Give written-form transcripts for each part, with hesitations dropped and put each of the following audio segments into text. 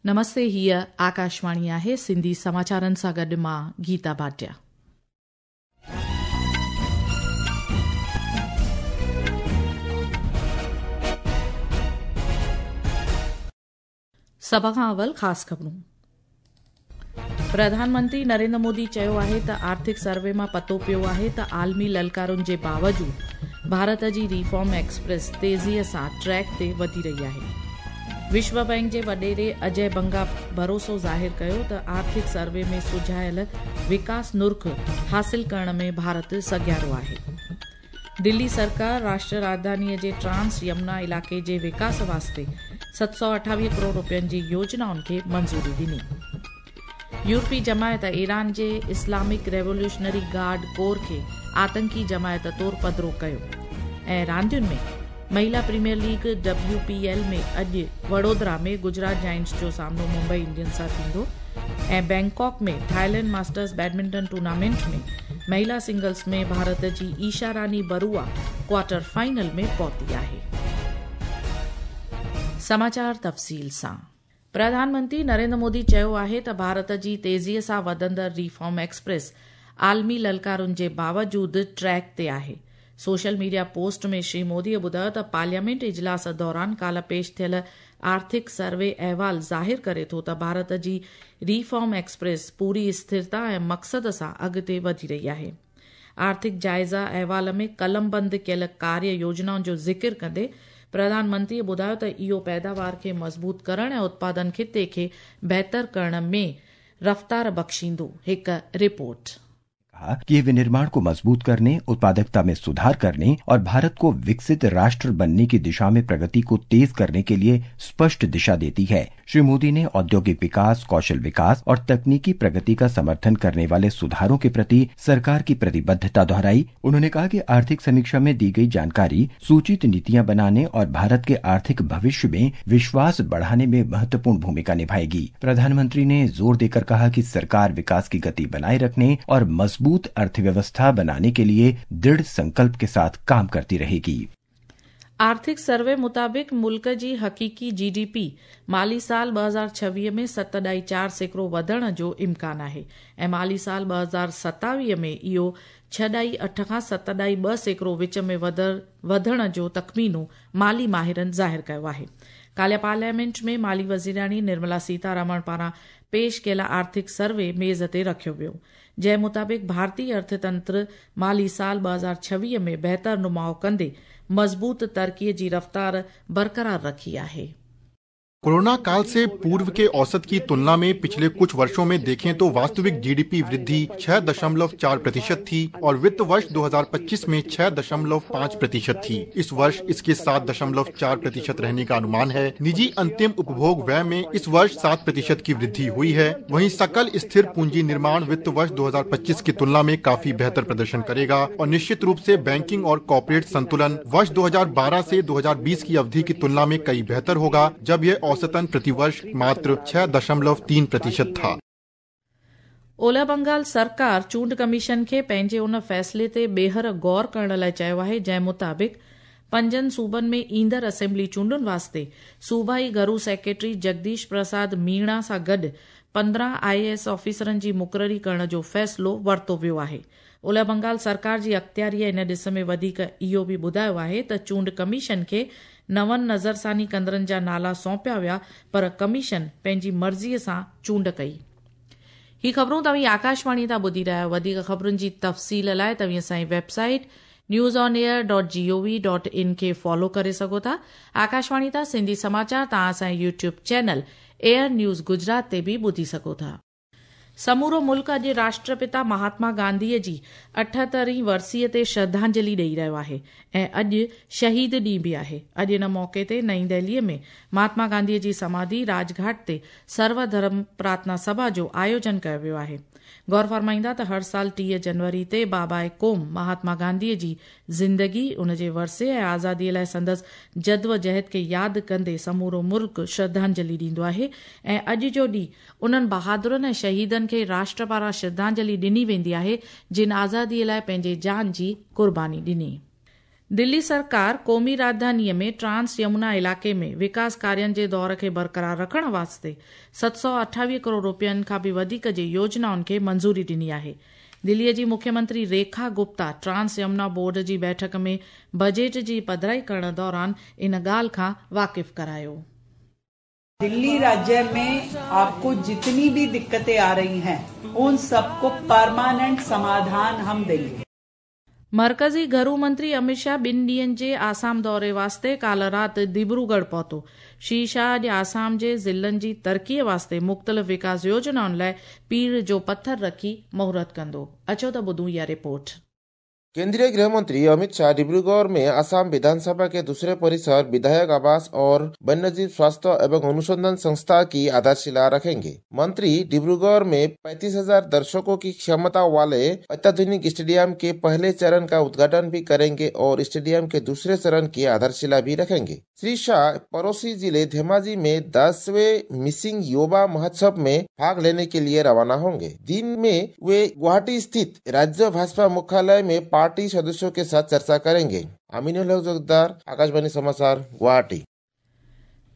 نمستي هيء آڪاشواڻي آهي سنڌي سماچارن سان گڏ مان گيتا ڀاٽيا. سڀ کان اول خاص خبرون. پرڌان منتري نريندر مودي چيو آهي ته آرٿڪ سروي مان پتو پيو آهي ته عالمي للڪارن جي باوجود ڀارت جي ريفارم ايڪسپريس تيزيء سان ٽريڪ تي وڌي رهي آهي. وشو بئنڪ جي وڏيري اجي بنگا ڀروسو ظاهر ڪيو ته آرٿڪ سروي ۾ سجهايل وڪاس نرخ حاصل ڪرڻ ۾ ڀارت سگهيارو آهي. دلي سرڪار راشٽر راڄڌانيء جي ٽرانس يمنا علائقي جي وڪاس واسطي 728 ڪروڙ رپين جي يوجنائن کي منظوري ڏني. يورپي جماعت ايران جي اسلامڪ ريوليوشنري گارڊ ڪور کي آتنڪي جماعت طور پڌرو ڪيو ۽ راندين ۾ مهيلا premier league, W P L, ۾ اڄ وڙودرا ۾ گجرات جائنٽس جو سامنو ممبئي انڊينز سان ٿيندو ۽ Bangkok ۾ Thailand masters badminton tournament ۾ مهيلا سنگلز ۾ ڀارت جي ايشا راني بروا ڪوارٽر فائنل ۾ پهتي آهي. سماچار تفصيل سان پرڌان منتري نريندر مودي چيو آهي ته ڀارت جي تيزيء سان وڌندڙ ريفارم ايڪسپريس عالمي للڪارن جي باوجود ٽريڪ تي آهي. Social media post ۾ Shri Modi ٻڌايو ته پارليامينٽ اجلاس دوران ڪالهه پيش ٿيل آرٿڪ سروي احوال ظاهر ڪري ٿو ته ڀارت جي ريفارم ايڪسپريس پوري اسٿرتا ۽ مقصد سان اڳتي وڌي رهي آهي. آرٿڪ جائزه احوال ۾ قلمبند ڪيل ڪاريه يوجنائن جو ذڪر ڪندي پرڌان منتري ٻڌايو ته اهو پيداوار کي مضبوط ڪرڻ ۽ اتپادن خطي کي بهتر ڪرڻ ۾ رفتار بخشيندو. هڪ رپورٽ. कहा कि ये विनिर्माण को मजबूत करने, उत्पादकता में सुधार करने और भारत को विकसित राष्ट्र बनने की दिशा में प्रगति को तेज करने के लिए स्पष्ट दिशा देती है। श्री मोदी ने औद्योगिक विकास, कौशल विकास और तकनीकी प्रगति का समर्थन करने वाले सुधारों के प्रति सरकार की प्रतिबद्धता दोहराई। उन्होंने कहा कि आर्थिक समीक्षा में दी गई जानकारी सूचित नीतियां बनाने और भारत के आर्थिक भविष्य में विश्वास बढ़ाने में महत्वपूर्ण भूमिका निभाएगी। प्रधानमंत्री ने जोर देकर कहा कि सरकार विकास की गति बनाए रखने और मजबूत अर्थव्यवस्था बनाने के लिए दृढ़ संकल्प के साथ काम करती रहेगी। آرٿڪ سروي مطابق ملڪ جي حقيقي جي ڊي پي مالي سال 2026 ۾ 7.4% وڌڻ جو امڪان آهي ۽ مالي سال 2027 ۾ اهو 6.8 کان 7.2% وچ ۾ وڌڻ جو تخمينو مالي ماهرن ظاهر ڪيو آهي. ڪالهه پارليامينٽ ۾ مالي وزيراڻي نرملا سيتارامڻ پاران پيش ڪيل آرٿڪ سروي ميز تي رکيو ويو، جنهن مطابق ڀارتي ارٿتنتر مالي سال 2026 ۾ بهتر نماء ڪندي مضبوط ترقي جي رفتار برقرار رکي آهي. कोरोना काल से पूर्व के औसत की तुलना में पिछले कुछ वर्षों में देखें तो वास्तविक जीडीपी वृद्धि 6.4% थी और वित्त वर्ष 2025 में 6.5% थी। इस वर्ष इसके 7.4% रहने का अनुमान है। निजी अंतिम उपभोग व्यय में इस वर्ष 7% की वृद्धि हुई है। वहीं सकल स्थिर पूंजी निर्माण वित्त वर्ष 2025 की तुलना में काफी बेहतर प्रदर्शन करेगा और निश्चित रूप से बैंकिंग और कॉर्पोरेट संतुलन वर्ष 2012 से 2020 की अवधि की तुलना में कई बेहतर होगा, जब यह औसतन प्रतिवर्ष मात्र 6.3% था। اولهه بنگال سرڪار چونڊ ڪميشن کي پنهنجي ان فيصلي تي ٻيهر غور ڪرڻ لاء چيو آهي جنهن مطابق پنجن صوبن ۾ ايندڙ اسيمبلي چونڊن واسطي صوبائي گهرو سيڪريٽري جگديش پرساد ميڻا سان گڏ 15 آء اي ايس آفيسرن جي مقرري ڪرڻ جو فيصلو ورتو ويو آهي. اولهه بنگال سرڪار جي اختياريء ان ڏس ۾ وڌيڪ اهو به ٻڌايو آهي ته چونڊ ڪميشن کي نون نظرثاني ڪندڙن جا نالا سونپيا ويا پر ڪميشن پنهنجي مرضيء سان چونڊ ڪئي. هي خبرون توهين آڪاشواڻي تان ٻڌي رهيا آهيو. وڌيڪ خبرن جي تفصيل لاء توهين اسان جي website news on air dot G O V dot in کي فالو ڪري سگهو ٿا. آڪاشواڻي تان سنڌي سماچار توهان اسان جي YouTube channel air news Gujarat تي به ٻڌي سگهو ٿا. سمورو ملڪ اڄ راشٽرپتا مهاتما گانڌي جي 78 هين ورسيء تي شرڌانجلي ڏئي رهيو آهي ۽ اڄ شهيد ڏينهن به آهي. اڄ ان موقعي تي نئين دهلي ۾ مهاتما گانڌي جي سماڌي راڄ گهاٽ تي سرو ڌرم پرارٿنا سڀا جو آيوجن ڪيو ويو آهي. غور فرمائيندا ته هر سال 30 جنوري تي باباء قوم مهاتما گانڌي جي زندگي، ان جي ورثي ۽ آزادي لاء سندس جدوجهد کي ياد ڪندي سمورو ملڪ شرڌانجلي ڏيندو آهي ۽ اڄ جو ڏينهن انهن بهادرن ۽ شهيدن کي راشٽر پاران شرڌانجلي ڏني ويندي آهي جن آزادي لاء پنهنجي جان جي قرباني ڏني. दिल्ली सरकार क़ौमी राजधानीअ में ट्रांस यमुना इलाइक़े में विकास कार्यनि जे दौर खे बरक़रार रखण वास्ते 728 करोड़ रुपयनि खां बि वधीक जे योजनाउनि खे मंज़ूरी ॾिनी आहे। दिल्लीअ जी मुख्यमंत्री रेखा गुप्ता ट्रांस यमुना बोर्ड जी बैठक में बजट जी पधराई करण दौरान इन ॻाल्हि खां वाक़िफ़ करायो। दिल्ली राज्य में आपको जितनी भी दिक्कतें आ रही हैं उन सबको परमानेंट समाधान हम देंगे। मरकज़ी घरू मंत्री अमित शाह ॿिनि ॾींहंनि जे आसाम दौरे वास्ते काल्ह राति दिब्रूगढ़ पहुतो। श्री शाह अॼु आसाम जे ज़िलनि जी तरक़ीअ वास्ते मुख़्तलिफ़ विकास योजनाउनि लाइ पीड़ जो पथर रखी मुहूर्त कंदो। अचो त ॿुधूं इहा रिपोर्ट। केंद्रीय गृह मंत्री अमित शाह डिब्रूगढ़ में असम विधानसभा के दूसरे परिसर, विधायक आवास और वन्यजीव स्वास्थ्य एवं अनुसंधान संस्था की आधारशिला रखेंगे। मंत्री डिब्रूगढ़ में 35,000 दर्शकों की क्षमता वाले अत्याधुनिक स्टेडियम के पहले चरण का उद्घाटन भी करेंगे और स्टेडियम के दूसरे चरण की आधारशिला भी रखेंगे। श्री शाह पड़ोसी जिले धेमाजी में 10वें मिसिंग युवा महोत्सव में भाग लेने के लिए रवाना होंगे। दिन में वे गुवाहाटी स्थित राज्य भाजपा मुख्यालय में पार्टी सदस्यों के साथ चर्चा करेंगे। अमीनुल हक जोगदार, आकाशवाणी समाचार, गुवाहाटी।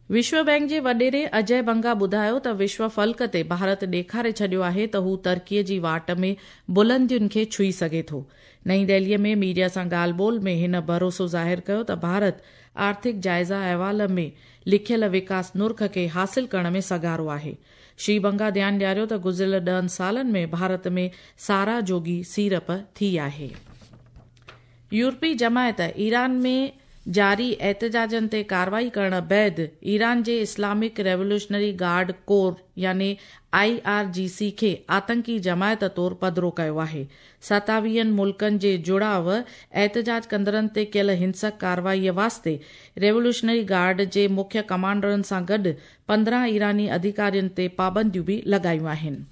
विश्व बैंक जे वॾेरे अजय बंगा ॿुधायो त विश्व फल्क ते भारत ॾेखारे छॾियो आहे त हू तरक़ीअ जी वाट में बुलंदियुनि खे छुई सघे थो। नई दिल्लीअ में मीडिया सां ॻाल्हि ॿोल में हिन भरोसो ज़ाहिर कयो त भारत आर्थिक जाइज़ा अहवाल में लिखियल विकास नुर्ख खे हासिल करण में सघारो आहे। श्री बंगा ध्यानु ॾियारियो त गुज़िरियल 10 सालनि में भारत में सारा जोगी सीरप थी आहे। यूरोपी जमायत ईरान में जारी एहतजाजनि ते कार्रवाई करण बाद ईरान जे इस्लामिक रेवोल्यूशनरी गार्ड कोर यानी IRGC खे आतंकी जमायत तौर पधरो कयो आहे। 27 मुल्कनि जे जुड़ाव एहतजाज कंदड़नि ते कयल हिंसक कार्रवाईअ वास्ते रेवोल्यूशनरी गार्ड जे मुख्य कमांडरनि सां गॾु 15 ईरानी अधिकारियुनि ते पाबंदियूं बि लॻायूं आहिनि।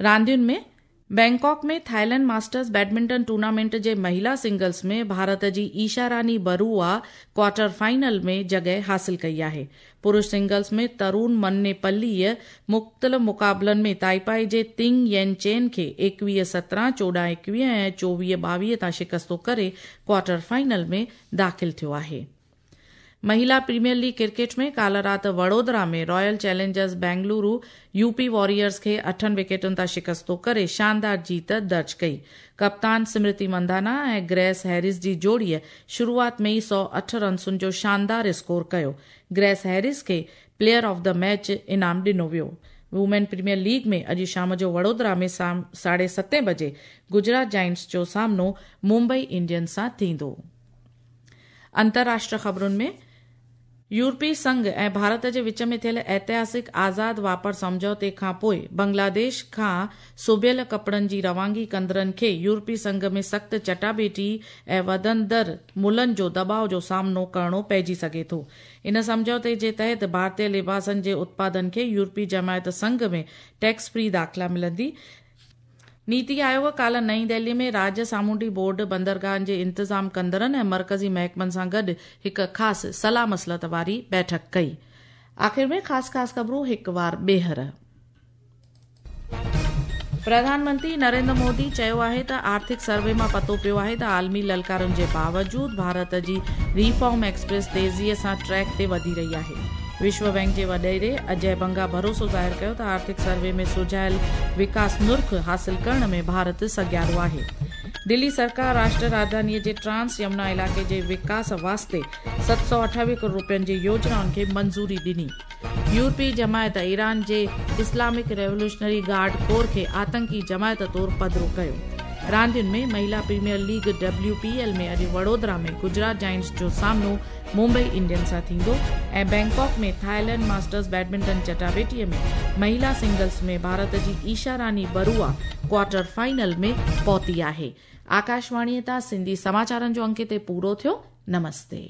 रांदियुनि में बैंकॉक में थाईलैंड मास्टर्स बैडमिंटन टूर्नामेंट जे महिला सिंगल्स में भारत जी ईशा रानी बरुआ क्वार्टर फाइनल में जॻह हासिल कई आहे। पुरुष सिंगल्स में तरुण मन्नेपल्लीअ मुख़्तलिफ़ मुक़ाबलनि में ताइपाई जे तिंग येन चेन खे 21-17, 14-21 ऐं 24-22 तां शिकस्तो करे क्वार्टर फाइनल में दाख़िल थियो आहे। महिला प्रीमियर लीग क्रिकेट में काल्ह राति वडोदरा में Royal Challengers Bengaluru UP Warriors खे 8 विकेटुनि तां शिकस्तो करे शानदार जीत दर्ज कई। कप्तान स्मृति मंधाना ऐं ग्रेस हैरिस जी जोड़ीअ शुरूआत में ई 108 रनसुनि जो शानदार स्कोर कयो। ग्रेस हैरिस खे प्लेयर ऑफ the match इनाम ॾिनो वियो। वुमेन प्रीमियर लीग में अॼु शाम जो वडोदरा में 7:30 बजे गुजरात जायंट्स जो सामनो मुंबई इंडियंस सां थींदो। अंतर्राष्ट्रीय ख़बरुनि में यूरोपीय संघ ऐं भारत जे विच में थियल ऐतिहासिक आज़ाद वापार सम्झौते खां पोइ बांग्लादेश खां सुबियल कपिड़नि जी रवानगी कंदड़नि खे यूरोपीय संघ में सख़्तु चटाबेटी ऐं वधंदड़ मुल्हनि जो दबाव जो सामनो करिणो पइजी सघे थो। इन सम्झौते जे तहत भारतीय लिबासनि जे उत्पादन खे यूरोपीय जमायत संघ में टैक्स फ्री दाख़िला मिलंदी। नीति आयोग काल्ह नई दिल्ली में राज्य सामुंडी बोर्ड बंदरगाहनि जे इंतज़ाम कंदड़नि ऐं मरकज़ी महकमनि सां गॾु हिकु ख़ासि सलाह मसलत वारी बैठक कई। आख़िर में ख़ासि ख़ासि ख़बरूं हिकु वार ॿीहर। प्रधानमंत्री नरेंद्र मोदी चयो आहे त आर्थिक सर्वे मां पतो पियो आहे त आलमी ललकारनि जे बावजूद भारत जी रिफॉर्म एक्सप्रेस तेज़ीअ सां ट्रैक ते वधी रही आहे। विश्व बैंक जे वॾेरे अजय बंगा भरोसो ज़ाहिर कयो त आर्थिक सर्वे में सुझायल विकास नुर्ख हासिल करण में भारत सघियारो आहे। दिल्ली सरकार राष्ट्र राजधानीअ जे ट्रांस यमुना इलाइक़े जे विकास वास्ते 728 करोड़ रुपयनि जी योजनाउनि खे मंज़ूरी ॾिनी। यूरोपीय जमायत ईरान जे इस्लामिक रेवोल्यूशनरी गार्ड कोर खे आतंकी जमायत तौर पधरो कयो। रांदियुनि में महिला प्रीमियर लीग WPL में अॼु वडोदरा में गुजरात जायंट्स जो सामनो मुंबई इंडियंस सां थींदो ऐं बैंकॉक में थाईलैंड मास्टर्स बैडमिंटन चटाबेटीअ में महिला सिंगल्स में भारत जी ईशा रानी बरुआ क्वार्टर फाइनल में पहुती आहे। आकाशवाणीअ तां सिंधी समाचारनि जो अंक हिते पूरो थियो। नमस्ते।